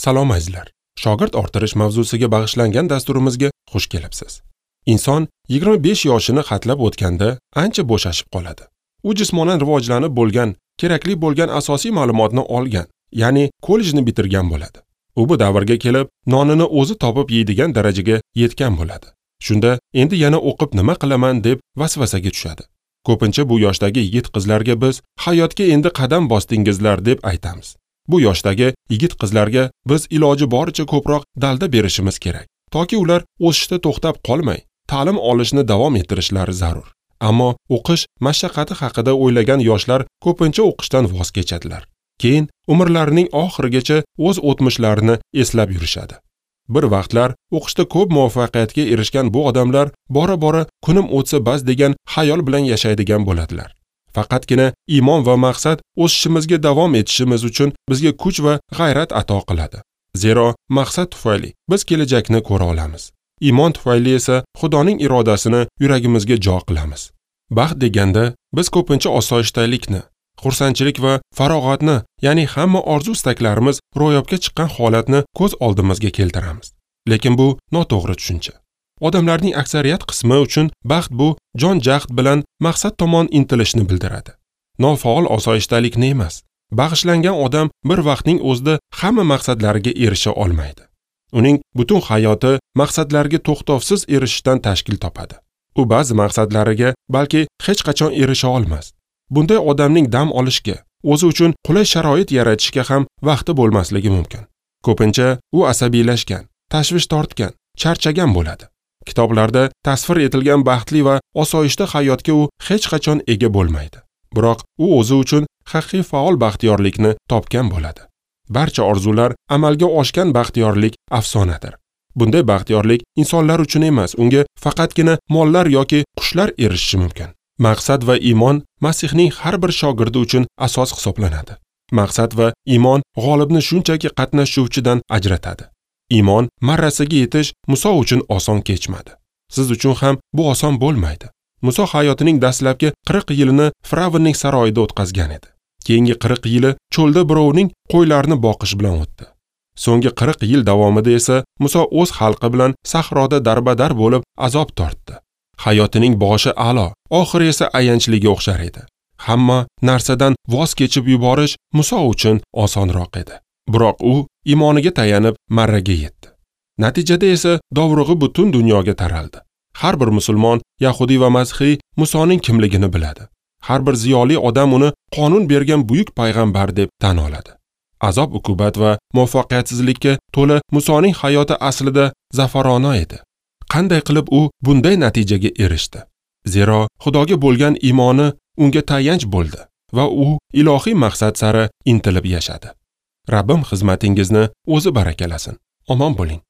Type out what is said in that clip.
Salom azizlar. Shogird orttirish mavzusiga bag'ishlangan dasturimizga xush kelibsiz. Inson 25 yoshini xatlab o'tganda ancha bo'shashib qoladi. U jismonan rivojlanib bo'lgan, kerakli bo'lgan asosiy ma'lumotni olgan, ya'ni kollejni bitirgan bo'ladi. U bu davrga kelib, nonini o'zi topib yeydigan darajaga yetgan bo'ladi. Shunda endi yana o'qib nima qilaman deb vasvasaga tushadi. Ko'pincha bu yoshdagi yigit qizlarga biz hayotga endi qadam bosdingizlar deb aytamiz. Bu yoshdagi yigit qizlarga biz iloji boricha ko'proq dalda berishimiz kerak, toki ular o'sishda to'xtab qolmay, ta'lim olishni davom ettirishlari zarur. Ammo o'qish mashaqqati haqida o'ylagan yoshlar ko'pincha o'qishdan voz kechadilar. Keyin umrlarining oxirigacha o'z o'tmishlarini eslab yurishadi. Bir vaqtlar o'qishda ko'p muvaffaqiyatga erishgan bu odamlar bora-bora kunim o'tsa bas degan xayol bilan yashaydigan bo'ladilar. Faqatgina iymon va maqsad o'sishimizga davom etishimiz uchun bizga kuch va g'ayrat ato qiladi. Zero maqsad tufayli biz kelajakni ko'ra olamiz. Iymon tufayli esa Xudoning irodasini yuragimizga jo qilamiz. Baxt deganda biz ko'pincha osoyishtalikni, xursandchilik va farog'atni, ya'ni hamma orzu istaklarimiz ro'yobga chiqqan holatni ko'z oldimizga keltiramiz. Lekin bu noto'g'ri tushuncha. Odamlarning aksariyat qismi uchun baxt bu jon jahd bilan maqsad tomon intilishni bildiradi. Nofaol osoyishtalikni emas. Bag'ishlangan odam bir vaqtning o'zida hamma maqsadlariga erisha olmaydi. Uning butun hayoti maqsadlarga to'xtovsiz erishishdan tashkil topadi. U ba'zi maqsadlariga balki hech qachon erisha olmas. Bunday odamning dam olishga, o'zi uchun qulay sharoit yaratishga ham vaqti bo'lmasligi mumkin. Ko'pincha u asabiylashgan, tashvish tortgan, charchagan bo'ladi. Kitoblarda tasvir etilgan baxtli va osoyishta hayotga u hech qachon ega bo'lmaydi. Biroq u o'zi uchun haqiqiy faol baxtiyorlikni topgan bo'ladi. Barcha orzular amalga oshgan baxtiyorlik afsonadir. Bunday baxtiyorlik insonlar uchun emas, unga faqatgina mollar yoki qushlar erishishi mumkin. Maqsad va iymon Masihning har bir shogirdi uchun asos hisoblanadi. Maqsad va iymon g'olibni shunchaki qatnashuvchidan ajratadi. Iymon marrasiga yetish Muso uchun oson kechmadi. Siz uchun ham bu oson bo'lmaydi. Muso hayotining dastlabki 40 yilini Firavnning saroyida o'tkazgan edi. Keyingi 40 yili cho'lda birovning qo'ylarini boqish bilan o'tdi. So'nggi 40 yil davomida esa Muso o'z xalqi bilan sahroda darbadar bo'lib azob tortdi. Hayotining boshi a'lo, oxiri esa ayanchliga o'xshar edi. Hamma narsadan voz kechib yuborish Muso uchun osonroq edi. Biroq u iymoniga tayanib marraga yetdi. Natijada esa dovrug'i butun dunyoga taraldi. Har bir musulmon, yahudiy va masihiy Musoning kimligini biladi. Har bir ziyoli odam uni qonun bergan buyuk payg'ambar deb tan oladi. Azob uqubat va muvaffaqiyatsizlikka to'la Musoning hayoti aslida zafarona edi. Qanday qilib u bunday natijaga erishdi? Zero Xudoga bo'lgan iymoni unga tayanch bo'ldi va u ilohiy maqsad sari intilib yashadi. Rabbim xizmatingizni o'zi barakalasin. Omon bo'ling.